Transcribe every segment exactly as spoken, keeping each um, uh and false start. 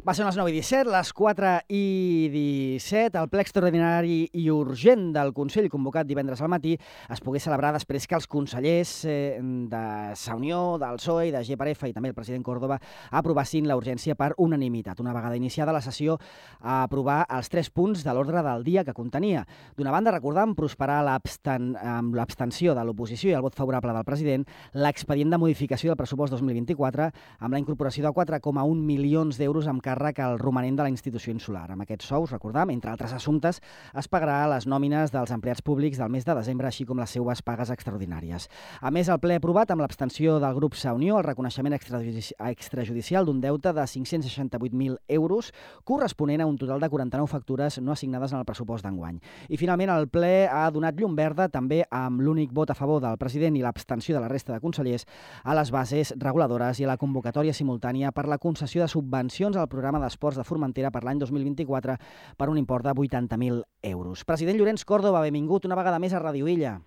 Va ser les nou i disset, les quatre i disset. El ple extraordinari i urgent del Consell, convocat divendres al matí, es pogués celebrar després que els consellers eh, de Sa Unió, del P S O E i de G per F i també el president Córdoba aprovassin la urgència per unanimitat. Una vegada iniciada la sessió a aprovar els tres punts de l'ordre del dia que contenia. D'una banda, recordam, prosperar l'absten amb l'abstenció de l'oposició i el vot favorable del president, l'expedient de modificació del pressupost dos mil vint-i-quatre amb la incorporació de quatre coma un milions d'euros amb càrrec al romanent de la institució insular. Amb aquests sous, recordam, entre altres assumptes, es pagarà les nòmines dels empleats públics del mes de desembre, així com les seues pagues extraordinàries. A més, el ple ha aprovat, amb l'abstenció del grup Sa Unió, el reconeixement extrajudici extrajudicial d'un deute de cinc-cents seixanta-vuit mil euros, corresponent a un total de quaranta-nou factures no assignades en el pressupost d'enguany. I, finalment, el ple ha donat llum verda, també amb l'únic vot a favor del president i l'abstenció de la resta de consellers, a les bases reguladores i a la convocatòria simultània per la concessió de subvencions al programa d'esports de Formentera per l'any dos mil vint-i-quatre per un import de vuitanta mil euros. President Llorenç Córdoba, benvingut una vegada més a Ràdio Illa.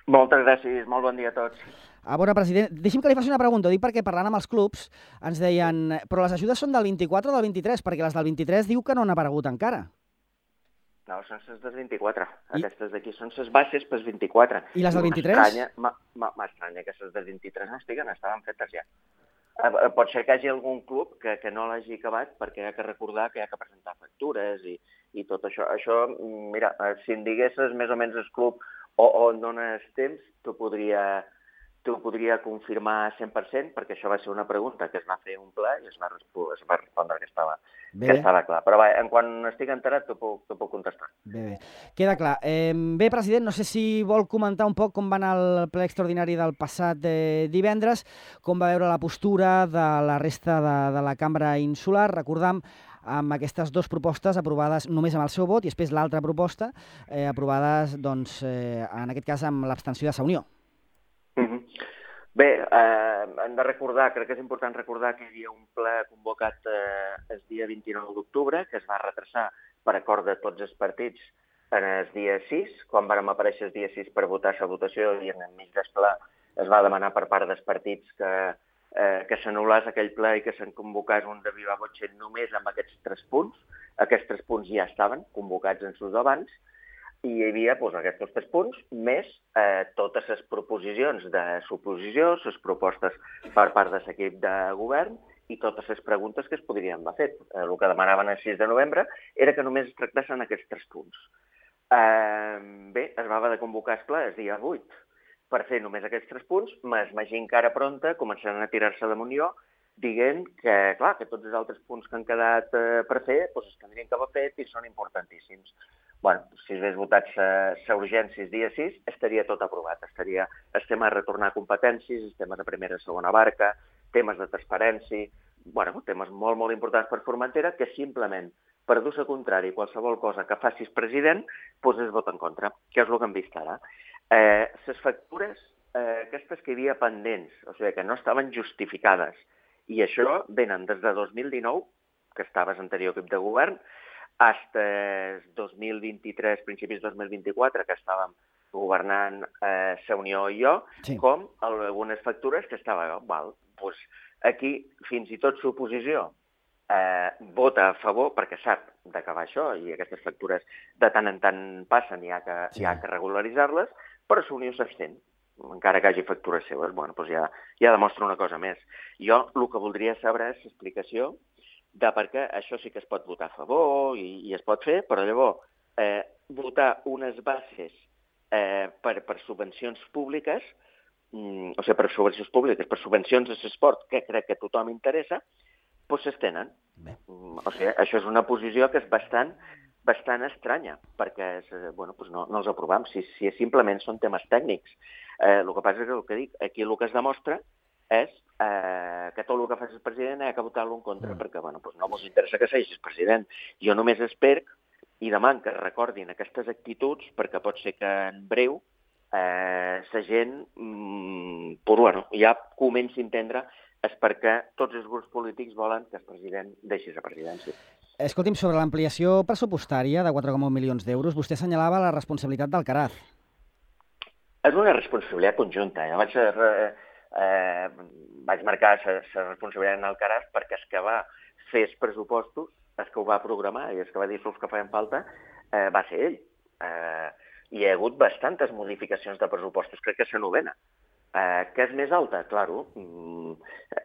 Moltes gràcies, molt bon dia a tots. A veure, president, deixi'm que li faci una pregunta. Ho dic perquè parlant amb els clubs ens deien però les ajudes són del vint-i-quatre o del vint-i-tres, perquè les del vint-i-tres diu que no han aparegut encara. No, són les del vint-i-quatre. I... Aquestes d'aquí són les bases pels vint-i-quatre. I les del vint-i-tres? M'estranya que les del vint-i-tres no estiguen, estaven fetes ja. Pot ser que hi hagi algun club que, que no l'hagi acabat perquè hi ha que recordar que hi ha que presentar factures i, i tot això. Això, mira, si em diguessis més o menys el club o on dones temps, t'ho podria, t'ho podria confirmar cent per cent, perquè això va ser una pregunta que es va fer un ple i es va, es va respondre que estava, que estava clar. Però va, en quan estic enterat t'ho puc, t'ho puc contestar. Bé, bé. Queda clar. Eh, bé, president, no sé si vol comentar un poc com va anar el ple extraordinari del passat eh, divendres, com va veure la postura de la resta de, de la cambra insular. Recordam amb aquestes dues propostes aprovades només amb el seu vot i després l'altra proposta eh, aprovades, doncs, eh, en aquest cas amb l'abstenció de Sa Unió. Mm-hmm. Bé, eh, hem de recordar, crec que és important recordar que hi havia un ple convocat eh, el dia vint-i-nou d'octubre, que es va retrasar per acord de tots els partits en el dia sis, quan vàrem aparèixer el dia sis per votar la votació i en el mig del ple es va demanar per part dels partits que, eh, que s'anul·lés aquell ple i que se'n convocés un de viva voce només amb aquests tres punts. Aquests tres punts ja estaven convocats en sus abans, i hi havia doncs, aquests tres punts, més eh, totes les proposicions de suposició, les propostes per part de l'equip de govern i totes les preguntes que es podrien haver fet. Eh, el que demanaven el sis de novembre era que només es tractessin aquests tres punts. Eh, bé, es va haver de convocar el ple el dia vuit per fer només aquests tres punts, més imagino que ara pronta començaran a tirar-se damunt jo, dient que, clar, que tots els altres punts que han quedat eh, per fer doncs es tindrien que haver fet i són importantíssims. Bueno, si es hagués votat la urgència el dia sis, estaria tot aprovat. Estaria el tema de retornar competències, els temes de primera i segona barca, temes de transparència, bueno, temes molt, molt importants per Formentera, que simplement, per dur-se contrari qualsevol cosa que faci el president, doncs es vota en contra, que és el que hem vist ara. Eh, les factures, eh, aquestes que hi havia pendents, o sigui, que no estaven justificades, i això venen des de dos mil dinou, que estava l'anterior equip de govern, fins al dos mil vint-i-tres, principis dos mil vint-i-quatre, que estàvem governant eh, Sa Unió i jo, sí. Com algunes factures que estava, val, doncs aquí fins i tot l'oposició eh, vota a favor perquè sap d'acabar això i aquestes factures de tant en tant passen i hi ha que, sí. hi ha que regularitzar-les, però Sa Unió s'abstén. Encara que hagi factures seues, bueno, doncs ja, ja demostra una cosa més. Jo el que voldria saber és l'explicació de perquè això sí que es pot votar a favor i, i es pot fer, però llavors eh, votar unes bases eh, per, per subvencions públiques, mm, o sigui, per subvencions públiques, per subvencions a l'esport, que crec que a tothom interessa, doncs s'estenen. Mm, o sigui, això és una posició que és bastant, bastant estranya, perquè és, bueno, doncs no, no els aprovem, si, si simplement són temes tècnics. Eh, el que passa és que, el que dic, aquí el que es demostra és eh, que tot el que faci el president ha que votar-lo en contra, mm. perquè bueno, doncs no ens interessa que sigui el president. Jo només espero i demano que recordin aquestes actituds, perquè pot ser que en breu eh, la gent mm, pues, bueno, ja comenci a entendre és perquè tots els grups polítics volen que el president deixi la presidència. Escolti'm, sobre l'ampliació pressupostària de quatre coma un milions d'euros, vostè assenyalava la responsabilitat d'Alcaraz. És una responsabilitat conjunta. Jo vaig ser... Eh, vaig marcar la responsabilitat en Alcaraz perquè excavar fes pressupostos, el que ho va programar i el que va dir els que feien falta, eh, va ser ell. Eh, hi ha hagut bastantes modificacions de pressupostos, crec que és la novena. Eh, que és més alta? Claro, mm,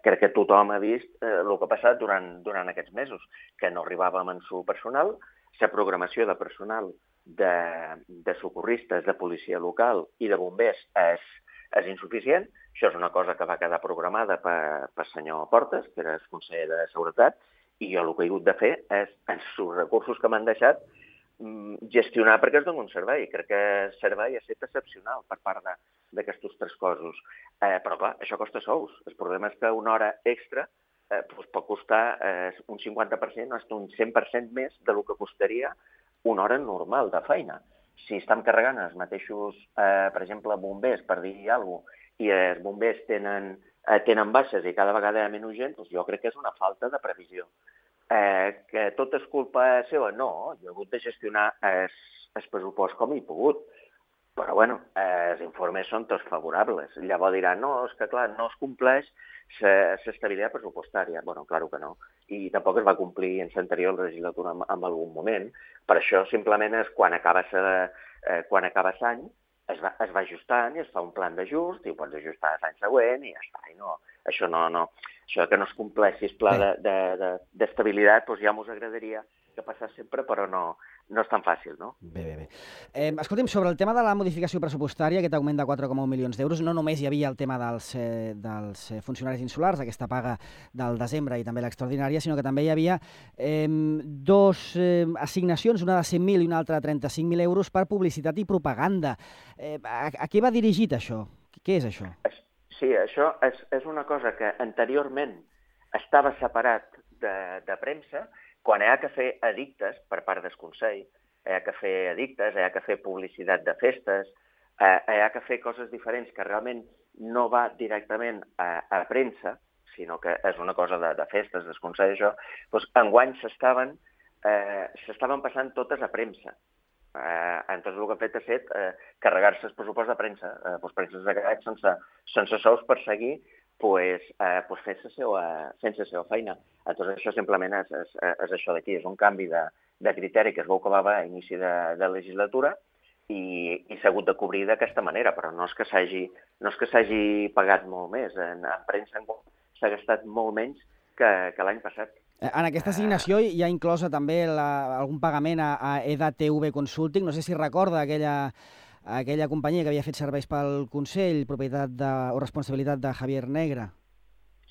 crec que tothom ha vist eh, el que ha passat durant, durant aquests mesos, que no arribàvem en su personal, la programació de personal de, de socorristes, de policia local i de bombers és, és insuficient. Això és una cosa que va quedar programada per, per senyor Portes, que era el conseller de Seguretat, i jo el que he hagut de fer és, els recursos que m'han deixat, gestionar perquè es doni un servei. Crec que el servei ha estat excepcional per part d'aquests tres cossos. Eh, però, clar, això costa sous. El problema és que una hora extra eh, doncs pot costar eh, un cinquanta per cent o fins un cent per cent més del que costaria una hora normal de feina. Si estem carregant els mateixos, eh, per exemple, bombers, per dir alguna cosa, i els bombers tenen, eh, tenen baixes i cada vegada hi ha menys gent, doncs jo crec que és una falta de previsió. Eh, que tot és culpa seva? No, jo he hagut de gestionar el pressupost com he pogut. Però, bueno, eh, els informes són tots favorables. Llavors diran, no, és que, clar, no es compleix l'estabilitat pressupostària. Bueno, clar que no. I tampoc es va complir en l'anterior legislatura en, en algun moment. Per això, simplement, és quan acaba eh, quan acaba l'any, es va, es va ajustant i es fa un plan d'ajust i ho pots ajustar l'any següent i ja està. I no, això no, no, això que no es compleixi el pla d'estabilitat, doncs ja m'us agradaria que passés sempre, però no, no és tan fàcil, no? Bé, bé, bé. Eh, escolti'm, sobre el tema de la modificació pressupostària, aquest augment de quatre coma un milions d'euros, no només hi havia el tema dels, eh, dels funcionaris insulars, aquesta paga del desembre i també l'extraordinària, sinó que també hi havia eh, dos eh, assignacions, una de cent mil i una altra de trenta-cinc mil euros per publicitat i propaganda. Eh, a, a què va dirigit això? Què és això? Sí, això és, és una cosa que anteriorment estava separat de, de premsa. Quan hi ha que fer edictes per part del Consell, hi ha que fer edictes, hi ha que fer publicitat de festes, hi ha que fer coses diferents que realment no va directament a, a premsa, sinó que és una cosa de, de festes, del Consell, això, doncs enguany s'estaven eh, s'estaven passant totes a premsa. Eh, entonces el que ha fet ha set eh, carregar-se el pressupost de premsa. Eh, doncs premsa s'ha quedat sense, sense sous per seguir pues, eh, pues fent la seva, fent la seva feina. Entonces això simplement és, és, és això d'aquí, és un canvi de, de criteri que es veu que va haver a inici de, de legislatura i, i s'ha hagut de cobrir d'aquesta manera, però no és que s'hagi no és que s'hagi pagat molt més. En, en premsa s'ha gastat molt menys que, que l'any passat. En aquesta assignació hi ha inclosa també la, algun pagament a, a EDATV Consulting. No sé si recorda aquella, aquella companyia que havia fet serveis pel Consell, propietat de, o responsabilitat de Javier Negre.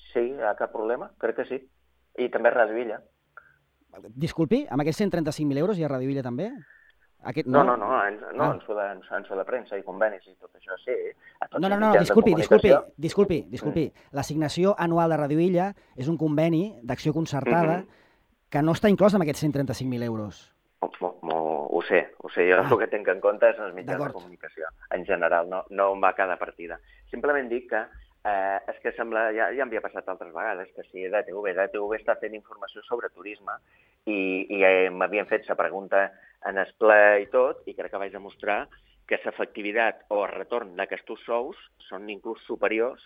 Sí, hi ha cap problema, crec que sí. I també Ràdio Illa. Disculpi, amb aquests cent trenta-cinc mil euros hi ha Ràdio Illa també? Aquest, no, no, no, no, en, no ah. en, so de, en so de premsa i convenis i tot això, sí. No, no, no, disculpi, disculpi, disculpi, disculpi. Mm. L'assignació anual de Ràdio Illa és un conveni d'acció concertada mm-hmm. que no està inclòs en aquests cent trenta-cinc mil euros. Mo, mo, ho sé, ho sé. Jo ah. el que tinc en compte és els mitjans de comunicació. En general, no, no em va cada partida. Simplement dic que eh, és que sembla, ja, ja m'havia passat altres vegades, que si EDATV, EDATV està fent informació sobre turisme i, i eh, m'havien fet la pregunta en el ple i tot, i crec que vaig demostrar que l'efectivitat o el retorn d'aquests sous són inclús superiors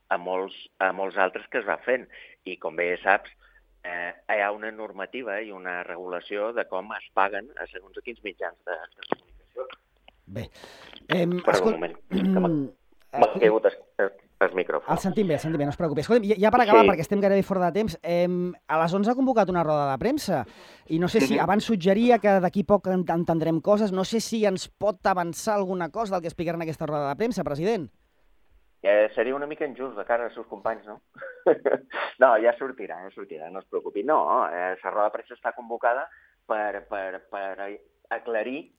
a molts, a molts altres que es va fent. I com bé saps, eh, hi ha una normativa i una regulació de com es paguen a segons a quins mitjans de, de comunicació. Bé. Eh, per escol... un moment, que m'ha caigut el, el micròfon. El sentim bé, el sentim bé, no es preocupi. Escolta'm, ja per acabar, sí. perquè estem gairebé fora de temps, eh, a les onze ha convocat una roda de premsa i no sé si abans suggeria que d'aquí poc entendrem coses, no sé si ens pot avançar alguna cosa del que explicarà en aquesta roda de premsa, president. Eh, seria una mica injust de cara als seus companys, no? No, ja sortirà, ja sortirà, no es preocupi. No, eh, la roda de premsa està convocada per, per, per aclarir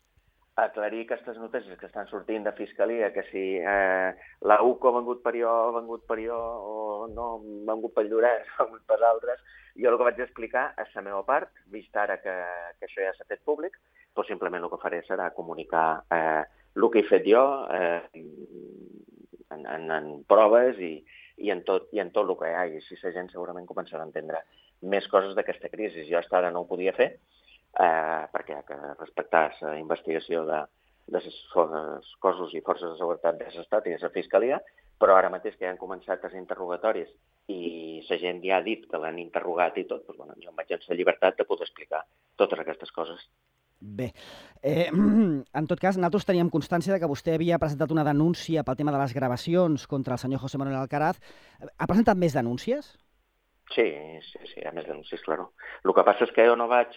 aclarir aquestes notícies que estan sortint de Fiscalia, que si eh, la U C O ha vengut per jo, ha vengut per jo, o no, ha vengut per Llorenç, ha vengut per altres. Jo el que vaig explicar és la meva part, vist ara que, que això ja s'ha fet públic, doncs simplement el que faré serà comunicar eh, el que he fet jo eh, en, en, en proves i, i, en tot, i en tot el que hi ha. I així la gent segurament començarà a entendre més coses d'aquesta crisi. Jo fins ara no ho podia fer, Eh, perquè hi ha que respectar la investigació de, de les cossos i forces de seguretat de l'Estat i de la Fiscalia, però ara mateix que ja han començat els interrogatoris i la gent ja ha dit que l'han interrogat i tot, doncs, bueno, jo em vaig en la llibertat de poder explicar totes aquestes coses. Bé, eh, en tot cas, nosaltres teníem constància de que vostè havia presentat una denúncia pel tema de les gravacions contra el senyor José Manuel Alcaraz. Ha presentat més denúncies? Sí, sí, sí, hi ha més denúncies, claro. El que passa és que jo no vaig,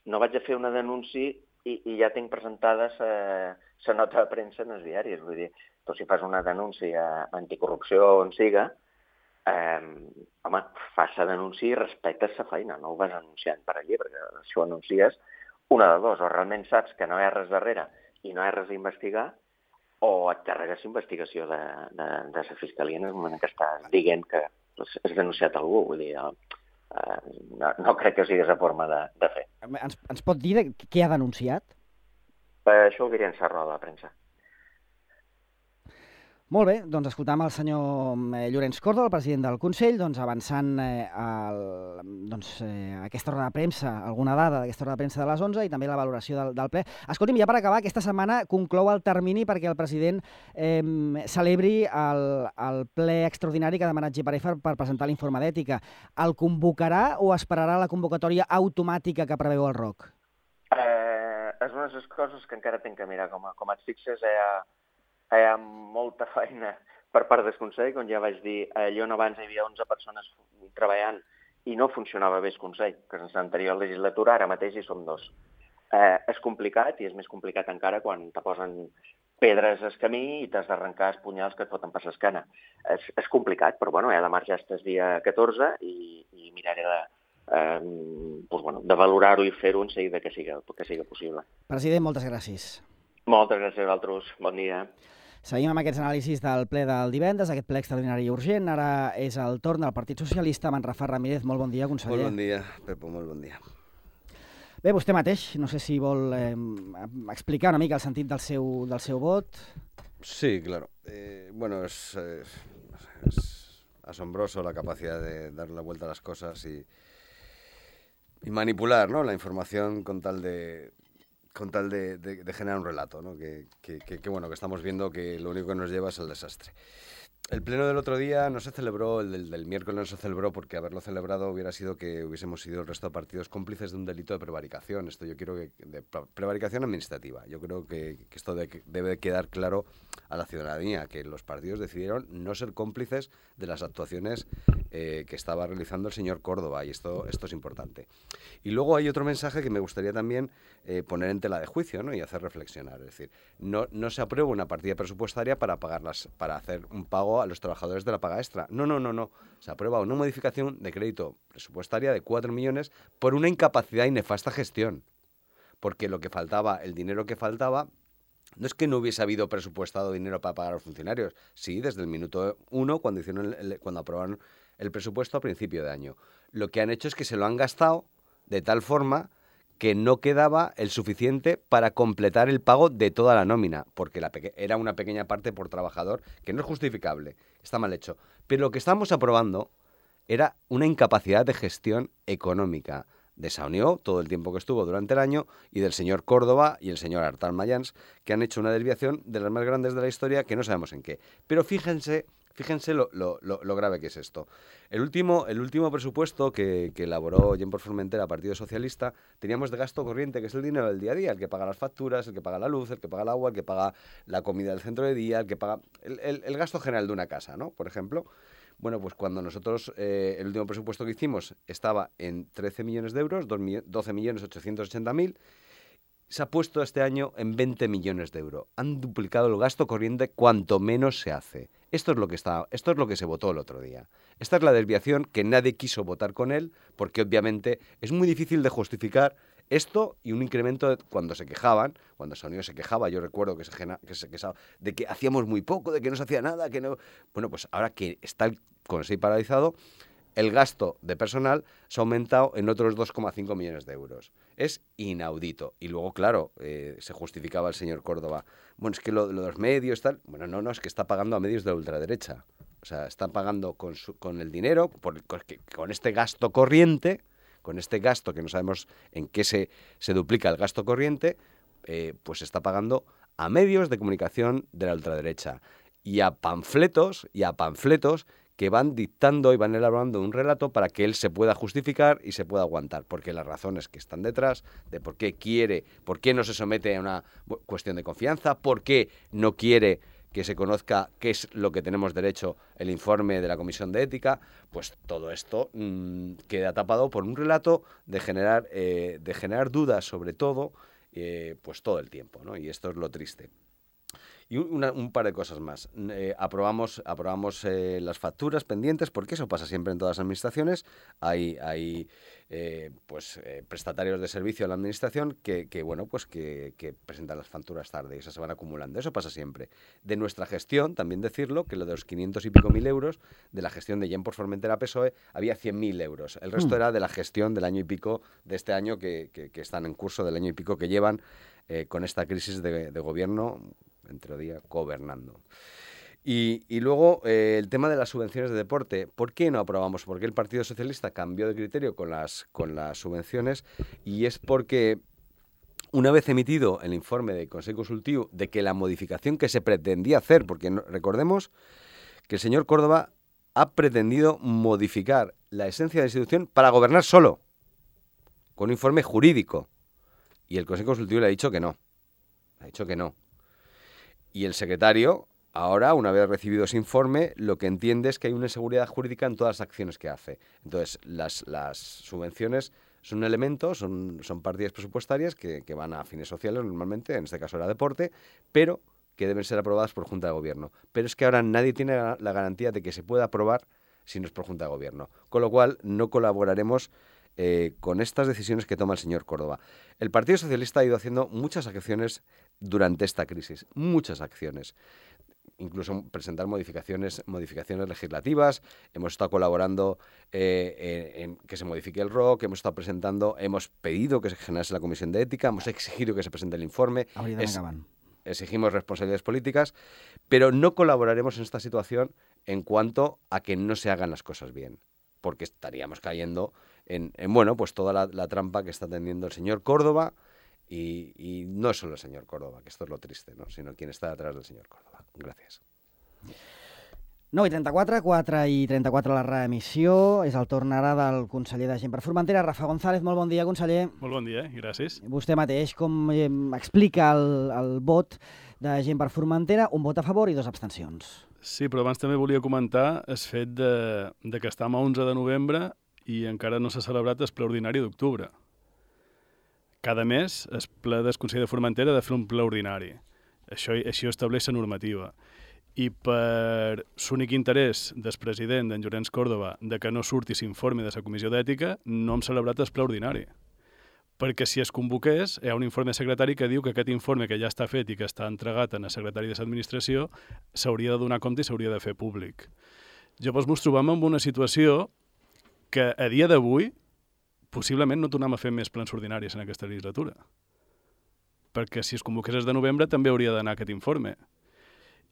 no vaig a fer una denúncia i, i ja tinc presentada la nota de premsa en els diaris. Vull dir, tu si fas una denúncia anticorrupció on siga, eh, home, fas la denúncia i respectes la feina, no ho vas anunciant per allí, perquè si ho anuncies, una de dos, o realment saps que no hi ha res darrere i no hi ha res a investigar, o et carregues investigació de, de, de la Fiscalia en el moment que estàs dient que has denunciat algú. Vull dir, eh, no, no crec que sigui la forma de, de fer. Ens, ens pot dir de què ha denunciat? Per això ho diré en la roda de premsa. Molt bé, doncs escoltam el senyor Llorenç Córdoba, el president del Consell, doncs avançant eh, el, doncs, eh, aquesta roda de premsa, alguna dada d'aquesta roda de premsa de les onze i també la valoració del, del ple. Escolti'm, ja per acabar, aquesta setmana conclou el termini perquè el president eh, celebri el, el ple extraordinari que ha demanat G per F per presentar l'informe d'ètica. El convocarà o esperarà la convocatòria automàtica que preveu el R O C? Eh, és una de les coses que encara tinc que mirar. Com, a, com et fixes, hi ha... hi ha molta feina per part del Consell, com ja vaig dir, allò on abans hi havia onze persones treballant i no funcionava bé el Consell, que en l'anterior legislatura ara mateix hi som dos. Eh, és complicat i és més complicat encara quan te posen pedres al camí i t'has d'arrencar els punyals que et foten per l'esquena. És, és complicat, però bueno, he de marxar el dia catorze i, i miraré de, eh, doncs, bueno, de valorar-ho i fer-ho en seguida que siga, que siga possible. President, moltes gràcies. Moltes gràcies a vosaltres. Bon dia. Seguim amb aquests anàlisis del ple del divendres, aquest ple extraordinari i urgent. Ara és el torn del Partit Socialista, amb en Rafa Ramírez. Molt bon dia, conseller. Molt bon dia, Pepo, molt bon dia. Bé, vostè mateix, no sé si vol eh, explicar una mica el sentit del seu, del seu vot. Sí, claro. Eh, bueno, es, es, es asombroso la capacidad de dar la vuelta a las cosas y, y manipular, ¿no?, la información con tal de... con tal de, de, de generar un relato, ¿no? Que, que, que, que bueno, que estamos viendo que lo único que nos lleva es el desastre. El pleno del otro día no se celebró, el del, del miércoles no se celebró porque haberlo celebrado hubiera sido que hubiésemos sido el resto de partidos cómplices de un delito de prevaricación. Esto yo quiero que, de prevaricación administrativa. Yo creo que, que esto de, que debe quedar claro a la ciudadanía, que los partidos decidieron no ser cómplices de las actuaciones eh, que estaba realizando el señor Córdoba, y esto, esto es importante. Y luego hay otro mensaje que me gustaría también eh, poner en tela de juicio, ¿no?, y hacer reflexionar. Es decir, no, no se aprueba una partida presupuestaria para pagar las, para hacer un pago a los trabajadores de la paga extra. No, no, no, no. Se aprueba una modificación de crédito presupuestaria de cuatro millones por una incapacidad y nefasta gestión. Porque lo que faltaba, el dinero que faltaba, no es que no hubiese habido presupuestado dinero para pagar a los funcionarios. Sí, desde el minuto uno, cuando hicieron el, el, cuando aprobaron el presupuesto a principio de año. Lo que han hecho es que se lo han gastado de tal forma que no quedaba el suficiente para completar el pago de toda la nómina, porque la peque- era una pequeña parte por trabajador, que no es justificable, está mal hecho. Pero lo que estamos aprobando era una incapacidad de gestión económica de Saunió, todo el tiempo que estuvo durante el año, y del señor Córdoba y el señor Artal Mayans, que han hecho una desviación de las más grandes de la historia, que no sabemos en qué. Pero fíjense... Fíjense lo, lo, lo, lo grave que es esto. El último, el último presupuesto que, que elaboró Jen por Formentera, Partido Socialista, teníamos de gasto corriente, que es el dinero del día a día, el que paga las facturas, el que paga la luz, el que paga el agua, el que paga la comida del centro de día, el que paga el, el, el gasto general de una casa, ¿no?, por ejemplo. Bueno, pues cuando nosotros, eh, el último presupuesto que hicimos estaba en trece millones de euros, doce millones ochocientos ochenta mil, se ha puesto este año en veinte millones de euros. Han duplicado el gasto corriente cuanto menos se hace. Esto es lo que está, esto es lo que se votó el otro día. Esta es la desviación que nadie quiso votar con él, porque obviamente es muy difícil de justificar esto y un incremento de, cuando se quejaban, cuando Saunió se quejaba, yo recuerdo que se, que se quejaba de que hacíamos muy poco, de que no se hacía nada, que no... Bueno, pues ahora que está el Consell paralizado, el gasto de personal se ha aumentado en otros dos coma cinco millones de euros. Es inaudito. Y luego, claro, eh, se justificaba el señor Córdoba. Bueno, es que lo, lo de los medios, tal... Bueno, no, no, es que está pagando a medios de la ultraderecha. O sea, están pagando con, su, con el dinero, por, con, con este gasto corriente, con este gasto que no sabemos en qué se, se duplica el gasto corriente, eh, pues se está pagando a medios de comunicación de la ultraderecha. Y a panfletos, y a panfletos que van dictando y van elaborando un relato para que él se pueda justificar y se pueda aguantar, porque las razones que están detrás de por qué quiere, por qué no se somete a una cuestión de confianza, por qué no quiere que se conozca qué es lo que tenemos derecho, el informe de la Comisión de Ética, pues todo esto mmm, queda tapado por un relato de generar, eh, de generar dudas sobre todo, eh, pues todo el tiempo, ¿no? Y esto es lo triste. Y una, un par de cosas más. Eh, aprobamos aprobamos eh, las facturas pendientes, porque eso pasa siempre en todas las administraciones. Hay, hay eh, pues, eh, prestatarios de servicio a la administración que, que, bueno, pues que, que presentan las facturas tarde y esas se van acumulando. Eso pasa siempre. De nuestra gestión, también decirlo, que lo de los quinientos y pico mil euros, de la gestión de Genport Formentera P S O E, había cien mil euros. El resto mm. era de la gestión del año y pico de este año, que, que, que están en curso, del año y pico que llevan eh, con esta crisis de, de gobierno, entre día, gobernando. Y, y luego eh, el tema de las subvenciones de deporte. ¿Por qué no aprobamos? Porque el Partido Socialista cambió de criterio con las, con las subvenciones, y es porque una vez emitido el informe del Consejo Consultivo de que la modificación que se pretendía hacer, porque no, recordemos que el señor Córdoba ha pretendido modificar la esencia de la institución para gobernar solo, con un informe jurídico, y el Consejo Consultivo le ha dicho que no, ha dicho que no. Y el secretario, ahora, una vez recibido ese informe, lo que entiende es que hay una inseguridad jurídica en todas las acciones que hace. Entonces, las, las subvenciones son un elemento, son, son partidas presupuestarias que, que van a fines sociales normalmente, en este caso era deporte, pero que deben ser aprobadas por Junta de Gobierno. Pero es que ahora nadie tiene la garantía de que se pueda aprobar si no es por Junta de Gobierno. Con lo cual, no colaboraremos Eh, con estas decisiones que toma el señor Córdoba. El Partido Socialista ha ido haciendo muchas acciones durante esta crisis, muchas acciones. Incluso presentar modificaciones, modificaciones legislativas. Hemos estado colaborando eh, en, en que se modifique el R O C, hemos estado presentando, hemos pedido que se generase la Comisión de Ética, hemos exigido que se presente el informe. Es, exigimos responsabilidades políticas, pero no colaboraremos en esta situación en cuanto a que no se hagan las cosas bien, porque estaríamos cayendo en, en bueno, pues toda la, la trampa que está tendiendo el señor Córdoba, y, y no solo el señor Córdoba, que esto es lo triste, ¿no?, sino quien està detrás del señor Córdoba. Gràcies. nou i trenta-quatre, quatre i trenta-quatre la reemissió. És el torn ara del conseller de Genport Formentera, Rafa González. Molt bon dia, conseller. Molt bon dia, gràcies. Vostè mateix, com eh, explica el, el vot de Genport Formentera? Un vot a favor i dos abstencions. Sí, però abans també volia comentar el fet de, de que estem a onze de novembre i encara no s'ha celebrat el ple ordinari d'octubre. Cada mes el ple del Consell de Formentera ha de fer un ple ordinari. Això, això estableix la normativa. I per l'únic interès del president, d'en Llorenç Córdoba, de que no surti l'informe de la Comissió d'Ètica, no hem celebrat el ple ordinari. Perquè si es convoqués, hi ha un informe secretari que diu que aquest informe que ja està fet i que està entregat al secretari de l'administració s'hauria de donar compte i s'hauria de fer públic. Llavors ens trobem en una situació que a dia d'avui possiblement no tornem a fer més plens ordinaris en aquesta legislatura. Perquè si es convoqués el de novembre també hauria d'anar aquest informe.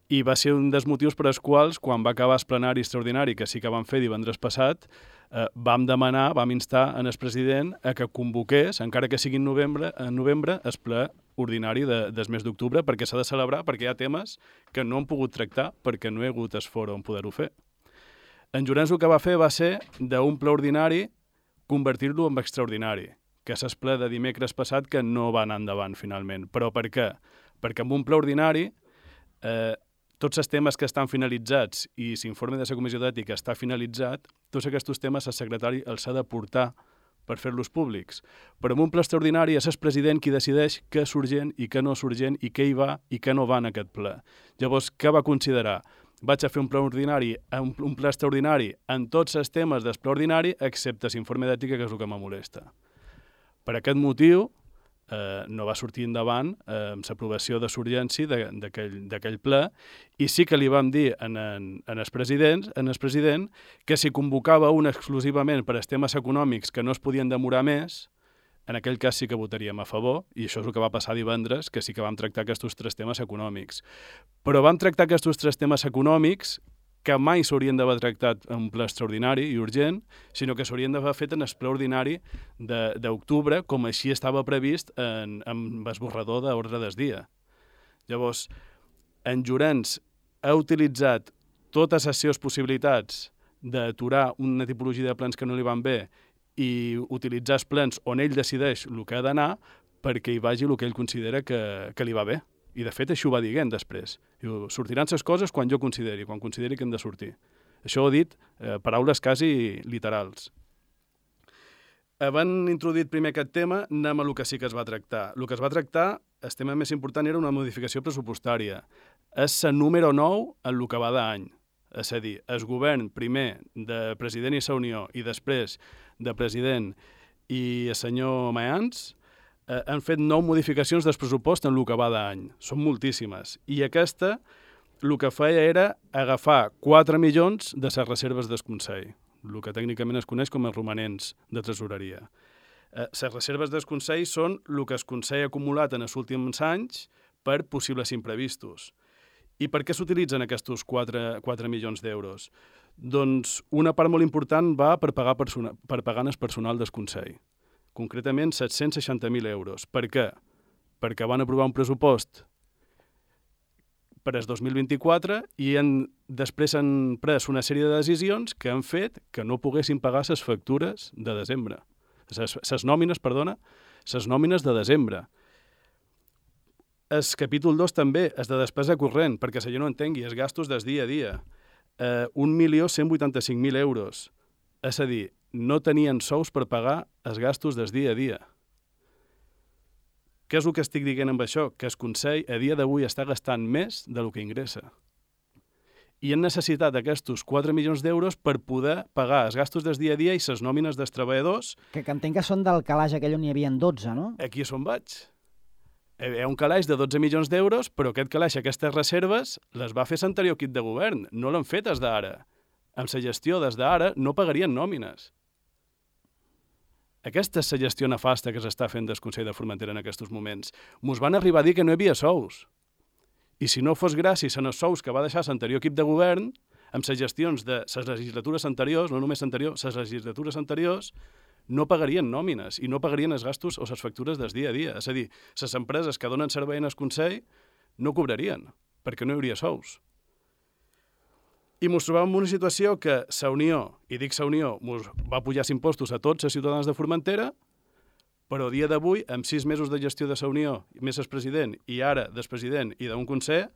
I va ser un dels motius per als quals, quan va acabar el plenari extraordinari, que sí que vam fer divendres passat, eh, vam demanar, vam instar en el president a que convoqués, encara que sigui en novembre, en novembre, el ple ordinari de, del mes d'octubre, perquè s'ha de celebrar, perquè hi ha temes que no han pogut tractar, perquè no hi ha hagut el fòrum on poder-ho fer. En Llorenç el que va fer va ser, d'un ple ordinari, convertir-lo en extraordinari, que és el ple de dimecres passat que no va anar endavant finalment. Però per què? Perquè amb un ple ordinari eh, tots els temes que estan finalitzats i l'informe de la Comissió d'Ètica està finalitzat, tots aquests temes el secretari els ha de portar per fer-los públics. Però en un ple extraordinari és el president qui decideix què és urgent i què no és urgent i què hi va i què no va en aquest ple. Llavors, què va considerar? Vaig a fer un ple ordinari, un, un ple extraordinari en tots els temes del ple ordinari, excepte l'informe d'ètica, que és el que me molesta. Per aquest motiu, eh, no va sortir endavant eh, l'aprovació de l'urgència d'aquell ple, i sí que li vam dir en, en, en, el president, en el president que si convocava un exclusivament per als temes econòmics que no es podien demorar més, en aquell cas sí que votaríem a favor, i això és el que va passar divendres, que sí que vam tractar aquests tres temes econòmics. Però vam tractar aquests tres temes econòmics que mai s'haurien d'haver tractat en un ple extraordinari i urgent, sinó que s'haurien d'haver fet en el ple ordinari d'octubre, com així estava previst en, en l'esborrador d'ordre del dia. Llavors, en Llorenç ha utilitzat totes les seves possibilitats d'aturar una tipologia de plans que no li van bé i utilitzar els plans on ell decideix el que ha d'anar perquè hi vagi el que ell considera que, que li va bé. I, de fet, això ho va dient després. Diu, sortiran les coses quan jo consideri, quan consideri que han de sortir. Això ho ha dit, eh, paraules quasi literals. Havent introduït primer aquest tema, anem a el que sí que es va tractar. El que es va tractar, el tema més important era una modificació pressupostària. És el número nou en el que va d'any. És a dir, el govern primer de president i la Unió i després de president i el senyor Mayans eh, han fet nou modificacions del pressupost en el que va d'any. Són moltíssimes. I aquesta el que feia era agafar quatre milions de les reserves del Consell, el que tècnicament es coneix com els romanents de tresoreria. Eh, les reserves del Consell són el que el Consell ha acumulat en els últims anys per possibles imprevistos. I per què s'utilitzen aquests quatre milions d'euros? Doncs una part molt important va per pagar, persona, per pagar el personal del Consell, concretament set-cents seixanta mil euros. Per què? Perquè van aprovar un pressupost per al dos mil vint-i-quatre i han, després han pres una sèrie de decisions que han fet que no poguessin pagar les factures de desembre. Les nòmines, perdona, les nòmines de desembre. El capítol dos també és de despesa corrent, perquè si jo no entengui, els gastos del dia a dia. Eh, un milió cent vuitanta-cinc mil euros. És a dir, no tenien sous per pagar els gastos del dia a dia. Què és el que estic dient amb això? Que el Consell a dia d'avui està gastant més del que ingressa. I han necessitat aquests quatre milions d'euros per poder pagar els gastos del dia a dia i les nòmines dels treballadors. Que, que entenc que són del calaix aquell on hi havia dotze, no? Aquí és on vaig. Hi ha un calaix de dotze milions d'euros, però aquest calaix, aquestes reserves, les va fer l'anterior equip de govern. No l'han fet des d'ara. Amb la gestió des d'ara no pagarien nòmines. Aquesta és la gestió nefasta que s'està fent del Consell de Formentera en aquests moments. Mos van arribar a dir que no hi havia sous. I si no fos gràcies a els sous que va deixar l'anterior equip de govern, amb les gestions de les legislatures anteriors, no només anterior, les legislatures anteriors, no pagarien nòmines i no pagarien els gastos o les factures del dia a dia. És a dir, les empreses que donen servei en el Consell no cobrarien, perquè no hi hauria sous. I ens trobàvem en una situació que la Unió, i dic la Unió, va pujar els impostos a tots els ciutadans de Formentera, però a dia d'avui, amb sis mesos de gestió de la Unió, més el president, i ara del president i d'un Consell,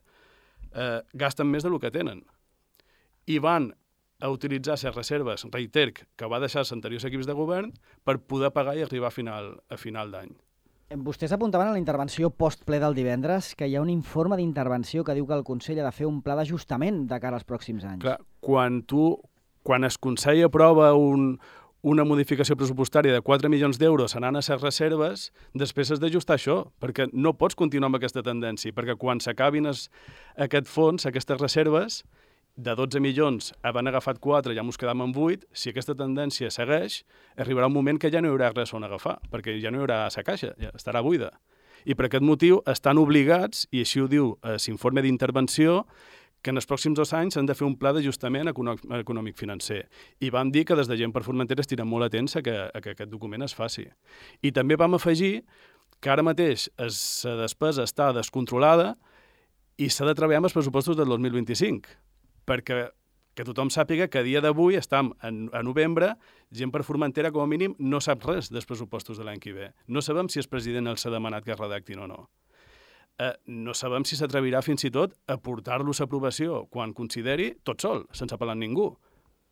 eh, gasten més del que tenen. I van a utilitzar les reserves, reiter, que va deixar els anteriors equips de govern per poder pagar i arribar a final, a final d'any. Vostès apuntaven a la intervenció post-ple del divendres que hi ha un informe d'intervenció que diu que el Consell ha de fer un pla d'ajustament de cara als pròxims anys. Clar, quan tu, quan el Consell aprova un, una modificació pressupostària de quatre milions d'euros anant a les reserves, després has d'ajustar això, perquè no pots continuar amb aquesta tendència, perquè quan s'acabin aquest fons, aquestes reserves, de dotze milions han agafat quatre, ja ens quedam en vuit, si aquesta tendència segueix, arribarà un moment que ja no hi haurà res on agafar, perquè ja no hi haurà la caixa, ja estarà buida. I per aquest motiu estan obligats, i així ho diu l'informe d'intervenció, que en els pròxims dos anys han de fer un pla d'ajustament econòmic-financer. I vam dir que des de Gent per Formentera estirem molt atents a que, a que aquest document es faci. I també vam afegir que ara mateix la despesa està descontrolada i s'ha de treballar amb els pressupostos del dos mil vint-i-cinc, perquè que tothom sàpiga que a dia d'avui estem en, a novembre, Gent per Formentera, com a mínim, no sap res dels pressupostos de l'any que ve. No sabem si el president els ha demanat que es redactin o no. Eh, no sabem si s'atrevirà fins i tot a portar-los a aprovació quan consideri tot sol, sense apel·lar a ningú,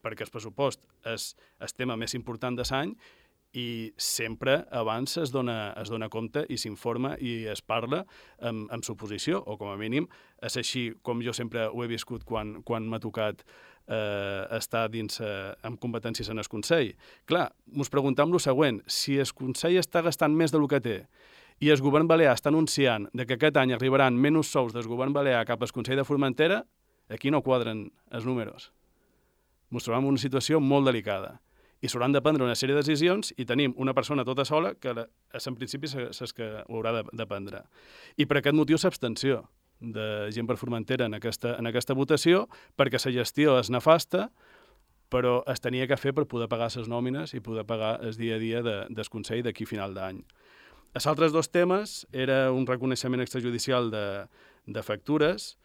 perquè el pressupost és el tema més important de l'any i sempre abans es dona, es dona compte i s'informa i es parla amb, amb suposició, o com a mínim és així com jo sempre ho he viscut quan, quan m'ha tocat eh, estar dins eh, amb competències en el Consell. Clar, ens preguntem el següent, si el Consell està gastant més del que té i el govern balear està anunciant de que aquest any arribaran menys sous del govern balear cap al Consell de Formentera, aquí no quadren els números. Ens trobem en una situació molt delicada. I s'hauran de prendre una sèrie de decisions i tenim una persona tota sola que en principi és que ho haurà de, de prendre. I per aquest motiu l'abstenció de Gent per Formentera en aquesta, en aquesta votació, perquè la gestió és nefasta, però es tenia que fer per poder pagar les nòmines i poder pagar el dia a dia de, del Consell d'aquí a final d'any. Els altres dos temes era un reconeixement extrajudicial de, de factures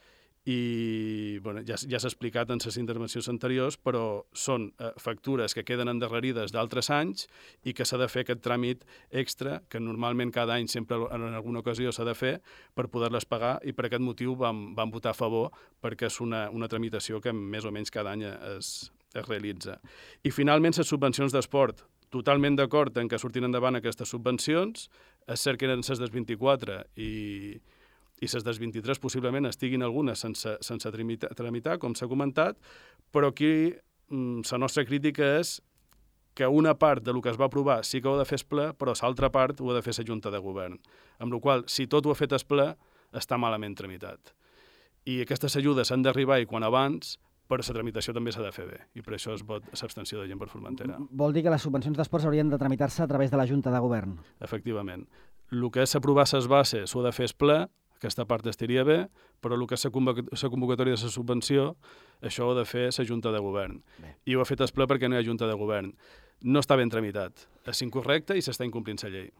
i bueno, ja, ja s'ha explicat en les intervencions anteriors, però són eh, factures que queden endarrerides d'altres anys i que s'ha de fer aquest tràmit extra, que normalment cada any sempre en alguna ocasió s'ha de fer per poder-les pagar, i per aquest motiu vam, vam votar a favor, perquè és una, una tramitació que més o menys cada any es, es realitza. I finalment les subvencions d'esport. Totalment d'acord en que surtin endavant aquestes subvencions. És cert que eren les del vint-i-quatre i i les del vint-i-tres possiblement estiguin algunes sense, sense tramitar, tramitar, com s'ha comentat, però aquí la nostra crítica és que una part del que es va aprovar sí que ho ha de fer el ple, però l'altra part ho ha de fer la Junta de Govern. Amb la qual cosa, si tot ho ha fet el ple, està malament tramitat. I aquestes ajudes han d'arribar i quan abans, però la tramitació també s'ha de fer bé, i per això es vot l'abstenció de Gent per Formentera. Vol dir que les subvencions d'esports haurien de tramitar-se a través de la Junta de Govern? Efectivament. El que és aprovar les bases ho ha de fer el ple, aquesta part estaria bé, però el que és la convocatòria de la subvenció, això ho ha de fer la Junta de Govern. Bé. I ho ha fet el ple perquè no hi ha Junta de Govern. No està ben tramitat. És incorrecte i s'està incomplint la llei.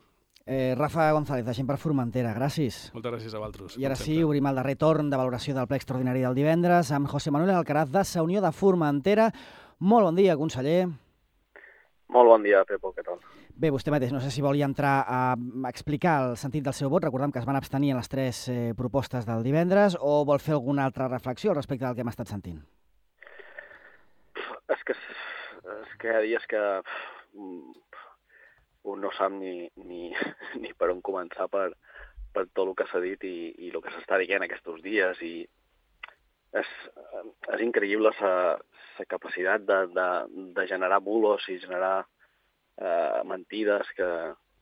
Eh, Rafa González, de Gent per Formentera, gràcies. Moltes gràcies a vosaltres. I ara sí, obrim el darrer torn de valoració del ple extraordinari del divendres amb José Manuel Alcaraz, de la Unió de Formentera. Molt bon dia, conseller. Molt bon dia, Pepo, què tal? Bé, vostè mateix, no sé si volia entrar a explicar el sentit del seu vot. Recordem que es van abstenir en les tres eh, propostes del divendres, o vol fer alguna altra reflexió respecte del que hem estat sentint? És que, és que hi ha dies que un no sap ni, ni, ni per on començar per, per tot el que s'ha dit i, i el que s'està dient aquests dies. I és, és increïble la capacitat de, de, de generar bulos i generar Uh, mentides que,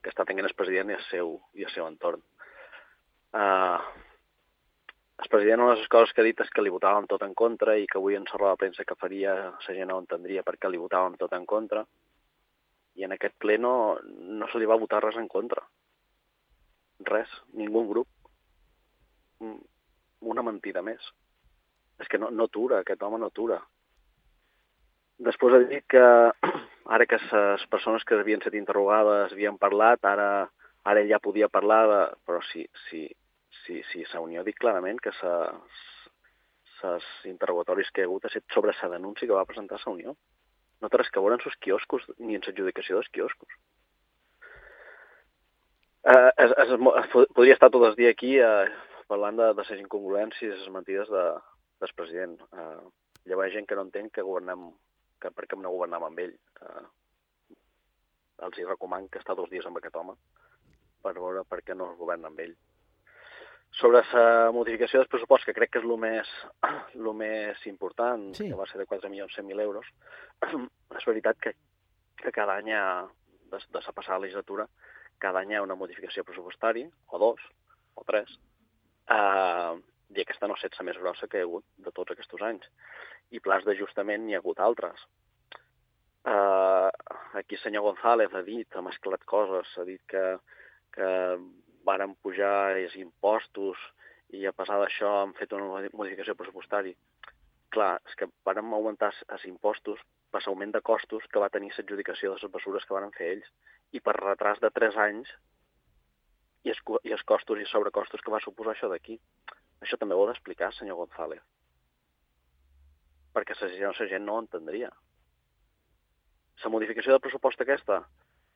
que està tenint el president i el seu, i el seu entorn. Uh, el president, una de les coses que ha dit és que li votàvem tot en contra i que avui en la roda de premsa que faria la gent no entendria per què li votàvem tot en contra, i en aquest ple no, no se li va votar res en contra. Res, ningú grup. Una mentida més. És que no, no atura, aquest home no atura. Després ha dit que ara que les persones que havien estat interrogades havien parlat, ara, ara ell ja podia parlar, de... però sí, sí, sí, sí, la Unió ha dit clarament que els interrogatoris que hi ha hagut ha estat sobre la denúncia que va presentar la Unió. No té res que veure en els quioscos ni en l'adjudicació dels quioscos. Eh, es, es, es, podria estar tot el dia aquí eh, parlant de, de les incongruències i les mentides de, del president. Eh, llavors hi ha gent que no entén que governem que per què no governam amb ell. Eh, els hi recomano que està dos dies amb aquest home per veure per què no es governa amb ell. Sobre la modificació del pressupost, que crec que és el més, el més important, sí, que va ser de quatre milions cent mil euros, és veritat que, que cada any, de, de la passada legislatura, cada any hi ha una modificació pressupostària, o dos, o tres, eh, i aquesta no ha estat la més grossa que hi ha hagut de tots aquests anys. I plans d'ajustament n'hi ha hagut altres. Uh, aquí el senyor González ha dit, ha mesclat coses, ha dit que, que varen pujar els impostos i a pesar d'això han fet una modificació pressupostària. Clar, és que varen augmentar els impostos per l'augment de costos que va tenir l'adjudicació de les mesures que van fer ells i per retras de tres anys i els, i els costos i sobrecostos que va suposar això d'aquí. Això també ho ha d'explicar, senyor González, perquè la gent no ho entendria. La modificació del pressupost aquesta,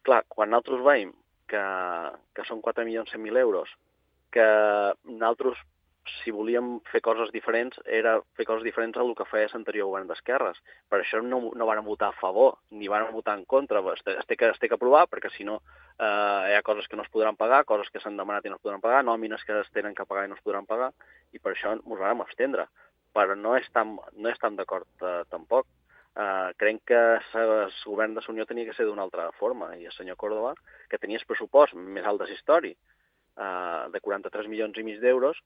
clar, quan nosaltres veiem que, que són quatre milions cent mil euros, que nosaltres, si volíem fer coses diferents, era fer coses diferents al que feia l'anterior govern d'esquerres. Per això no, no varen votar a favor, ni varen votar en contra. Es té, es té, que, es té que aprovar, perquè si no eh, hi ha coses que no es podran pagar, coses que s'han demanat i no es podran pagar, nòmines que es tenen que pagar i no es podran pagar, i per això ens vam abstendre. Però no estem, no estem d'acord eh, tampoc. Eh, crec que el govern de la Unió tenia que ser d'una altra forma, i el senyor Córdoba, que tenia el pressupost més alt de la història, eh, de quaranta-tres milions i mig d'euros,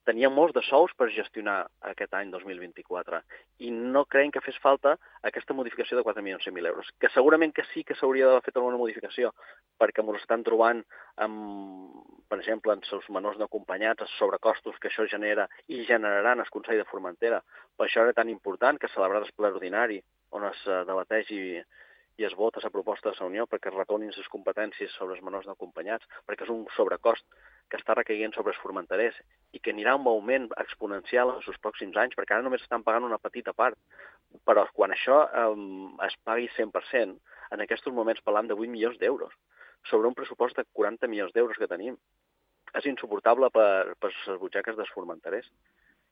tenia molts de sous per gestionar aquest any dos mil vint-i-quatre i no creiem que fes falta aquesta modificació de quatre milions cent mil euros, que segurament que sí que s'hauria d'haver fet alguna modificació, perquè ens estan trobant, amb, per exemple, en els menors no acompanyats, els sobrecostos que això genera i generaran el Consell de Formentera. Per això era tan important que celebrar el ple ordinari, on es debateix i, i es vota la proposta de la Unió perquè es retornin les competències sobre els menors no acompanyats, perquè és un sobrecost que està recaient sobre els formenterers i que anirà un augment exponencial en els pròxims anys, perquè ara només estan pagant una petita part. Però quan això eh, es pagui cent per cent, en aquests moments parlam de vuit milions d'euros, sobre un pressupost de quaranta milions d'euros que tenim. És insuportable per, per les butxaques dels formenterers.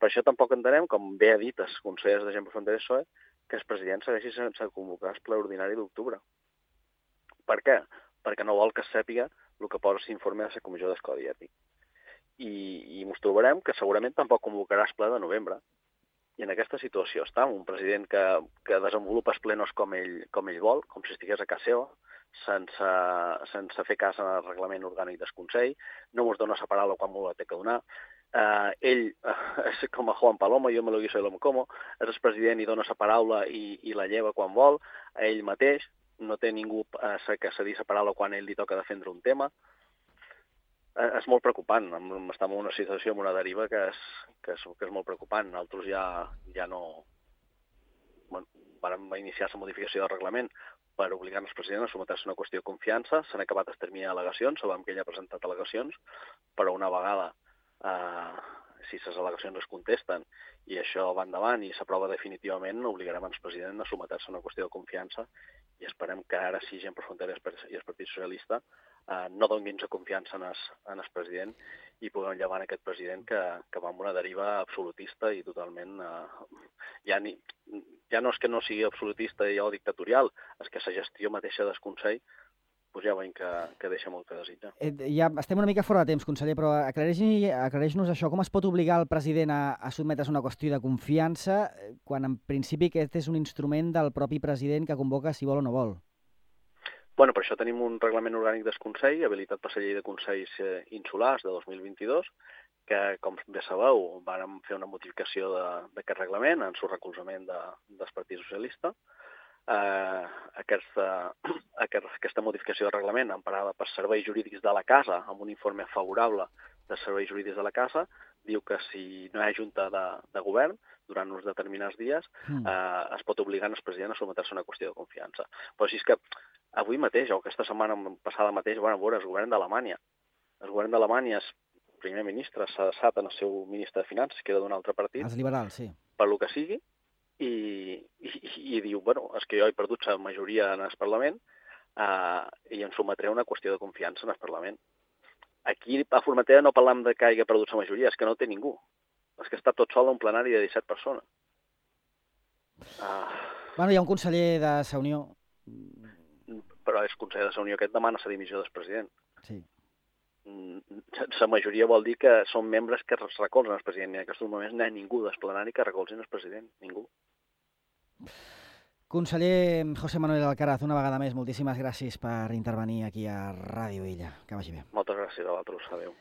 Per això tampoc entenem, com bé ha dit els consellers de Gent per Fronteres P S O E, que el president segueixi sense convocar el ple ordinari d'octubre. Per què? Perquè no vol que es sàpiga el que posa l'informe de la Comissió del Codi Ètic. I, i ens trobarem que segurament tampoc convocarà el ple de novembre. I en aquesta situació està un president que, que desenvolupa els plenos com ell, com ell vol, com si estigués a casa seva, sense, sense fer cas al reglament orgànic del Consell, no ens dona la paraula quan m'ho la té que donar. Uh, ell uh, és com a Juan Palomo, jo me lo guiso i lo me como, és el president i dona la paraula i, i la lleva quan vol, a ell mateix, no té ningú uh, que cedir la paraula quan ell li toca defendre un tema. És molt preocupant, estem en una situació, en una deriva que és, que és, que és molt preocupant. Nosaltres ja, ja no... Bueno, vam iniciar la modificació del reglament per obligar el president a sometre-se a una qüestió de confiança. S'han acabat el termini d'al·legacions, sabem que ell ha presentat al·legacions, però una vegada, eh, si les al·legacions es contesten i això va endavant i s'aprova definitivament, obligarem el president a sometre-se a una qüestió de confiança i esperem que ara sí Gent per Fronteres i el Partit Socialista Uh, no donin la confiança en el, en el president i puguem llevar aquest president que, que va amb una deriva absolutista i totalment... Uh, ja, ni, ja no és que no sigui absolutista i o dictatorial, és que la gestió mateixa del Consell pues ja veiem que, que deixa molt que desitjar. Eh, ja estem una mica fora de temps, conseller, però aclareix-nos això. Com es pot obligar el president a, a sotmetre's a una qüestió de confiança quan en principi aquest és un instrument del propi president que convoca si vol o no vol? Bueno, per això tenim un reglament orgànic del Consell, habilitat per la llei de Consells Insulars de dos mil vint-i-dos, que, com bé sabeu, vàrem fer una modificació d'aquest reglament en el recolzament de, del Partit Socialista. Eh, aquesta, aquesta modificació de reglament, emparada per serveis jurídics de la Casa, amb un informe favorable dels serveis jurídics de la Casa, diu que si no hi ha junta de, de govern, durant uns determinats dies, eh, es pot obligar el president a sometre-se a una qüestió de confiança. Però si és que avui mateix, o aquesta setmana passada mateix, van a veure el govern d'Alemanya. El govern d'Alemanya, el primer ministre, s'ha deixat en el seu ministre de Finances, que era d'un altre partit. Els liberals, sí. Per lo que sigui, i, i, i diu, bueno, és que jo he perdut la majoria en el Parlament eh, i em sometré a una qüestió de confiança en el Parlament. Aquí a Formentera no parlam de que hagi perdut la majoria, és que no té ningú. És que està tot sol en un plenari de disset persones. Uh... Bueno, hi ha un conseller de la Unió... Però és conseller de la Unió aquest demana la dimissió del president. Sí. La majoria vol dir que són membres que es recolzen el president. I en aquests moments no hi ha ningú del plenari que recolzen el president. Ningú. Conseller José Manuel Alcaraz, una vegada més, moltíssimes gràcies per intervenir aquí a Ràdio Illa. Que vagi bé. Moltes gràcies a vosaltres. Adéu.